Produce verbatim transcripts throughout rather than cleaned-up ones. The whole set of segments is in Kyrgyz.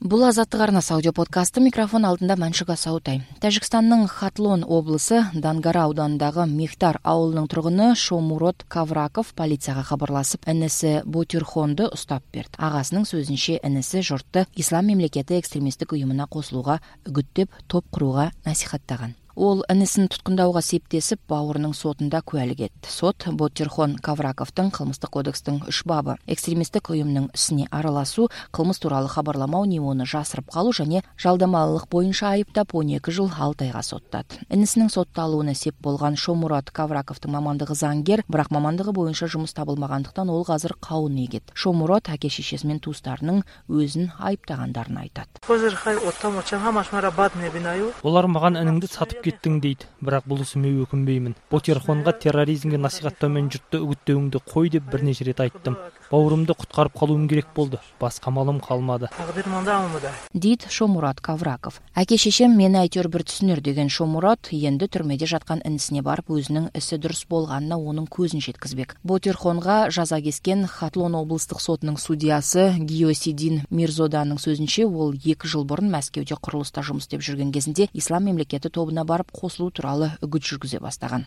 Бул Азаттык арнасы аудио подкасты. Микрофон алдында Маншуга Саутай. Тажикстандын Хатлон облусу Дангара ауданындагы Мехтар ауылунун тургуну Шомурод Кавраков полицияга кабарласып, энеси Ботирхонду уштап берди. Агасынын сөзүнчө, энеси журтты ислам мемлекети экстремисттик уюмуна косулууга үгүттөп, топ курууга насихаттаган. Ол энесин туткундауга септесип, бауырунун сотунда куәлик этти. Сот Ботирхон Кавраковдун кылмыштык кодекстин үч бабы экстремисттик уюмдун исине аралашуу, кылмыш тууралуу кабарламоо, неону жасырып калуу жана жалдамалылык боюнча айыптап он эки жыл алты айга соттады. Энесинин сотталууна сеп болгон Шомурод Кавраковдун мамандыгы заңгер, бирок мамандыгы боюнча жумуш табылмагандыктан ол азыр кабыл эгет. Шомурод аке-шешеси менен туустарынын өзүн айыптагандарын айтат. Олар маған энеңди сатып кеттиң дейт, бирок булуусу мен өкүнбөймүн. Ботирхонго терроризмге насихаттоо менен журтты үгүттөөңдү кой деп бир нече ирет айттым. Бауырумду куткарып калуум керек болду. Башка малым калмады, дейт Шомурод Кавраков. Аке-шешем мени айтор бир түсүнөр деген Шомурод энди түрмөдө жаткан инисине барып өзүнүн isi дурус болгонуна онун көзүн жеткизбек. Ботирхонго жаза кескен Хатлон облустук сотунун судьясы Гиосидин Мирзоданын сөзүнчө, ол эки жыл бурун Москвада курулуста жумуш иштеп жүргөн кезинде ислам мемлекети тобуна барып косулуу тууралуу үгүт жүргүзө баштаган.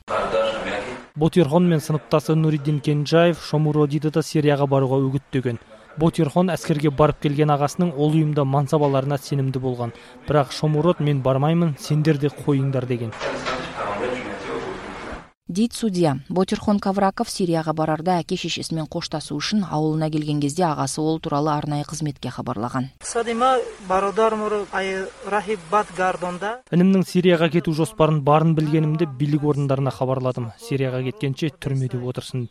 Ботирхон менен сыныпташы Нуриддин Кенжаев Шомуродиди да Сирияга барууга үгүттөгөн. Ботирхон аскерге барып келген агасынын ол уюмда мансабаларына сенимдүү болгон. Бирок Шомурод мен бармаймын, сендерди коюңдар деген. Дейт судья. Ботирхон Кавраков Сирияга барарда аке-шешеси менен кошташуу үчүн ауылуна келген кезде агасы ол тууралуу арнайы кызметке кабарлаган. Энимдин Сирияга кетүү жоспарын баарын билгенимде бийлик орундарына кабарладым. Сирияга кеткенче түрмөдө отурсун.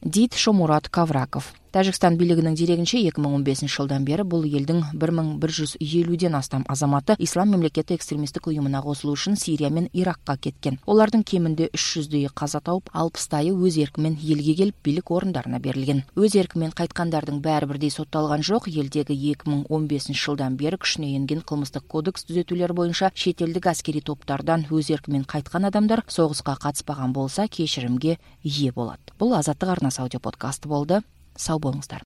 Дейт Шомурод Кавраков. Тажикстан бийлигинин дерегинче эки миң он бешинчи жылдан бери бул элдин бир миң бир жүз элүүдөн астам азаматы ислам мемлекети экстремисттик уюмуна косулуу үчүн Сирия менен Иракка кеткен. Олардын кеминде үч жүздөйү каза тауып, алпыстайы өз эрки менен элге келип бийлик орундарына берилген. Өз эрки менен кайткандардын баары бирдей сотталган жок. Элдеги эки миң он бешинчи жылдан бери күчүнө энген кылмыштык кодекс түзөтүүлөр боюнча чет элдик аскерий топтардан өз эрки менен кайткан адамдар согуска катыспаган болса кечиримге ээ болот. Бул Азаттык арнасы аудио подкасты болду. Сау болуңуздар.